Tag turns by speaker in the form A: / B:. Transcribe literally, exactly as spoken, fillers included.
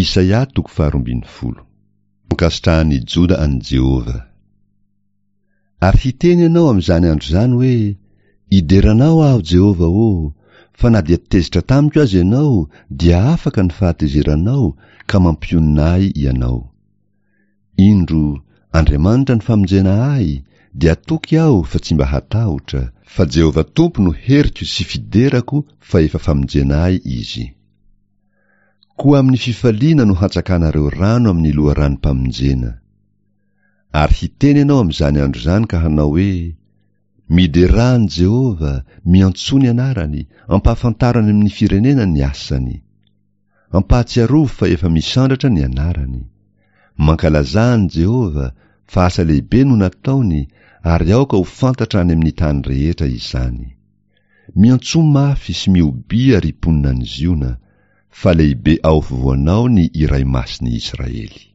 A: Isaia toko faharoa ambin'ny folo. Ankasitrahan'ny Joda an'i Jehovah. Ary hiteny ianao amin'izany andro izany hoe, Ideranao aho, Jehovah ô, fa na dia tezitra tamiko aza ianao, dia afaka ny fahatezeranao, ka mampionona ahy ianao. Indro, Andriamanitra ny famonjena ahy, dia toky aho fa tsy mba hatahotra, fa Jehovah Tompo no heriko sy fiderako fa efa famonjena ahy Izy. Koa amin'ny fifaliana no hatsakanareo rano amin'ny loharanom-pamonjena. Ary hiteny ianao amin'izany andro izany ka hanao hoe, Miderà an'i Jehovah, miantsoa ny anarany, ampahafantaro any amin'ny firenena ny asany. Ampahatsiarovy fa efa misandratra ny anarany. Mankalazà an'i Jehovah, fa asa lehibe no nataony, ary aoka ho fantatra any amin'ny tany rehetra izany. Miantsoa mafy sy mihobia ry mponina any Ziona, fa lehibe ao afovoanao ny Iray Masin'ny Israely.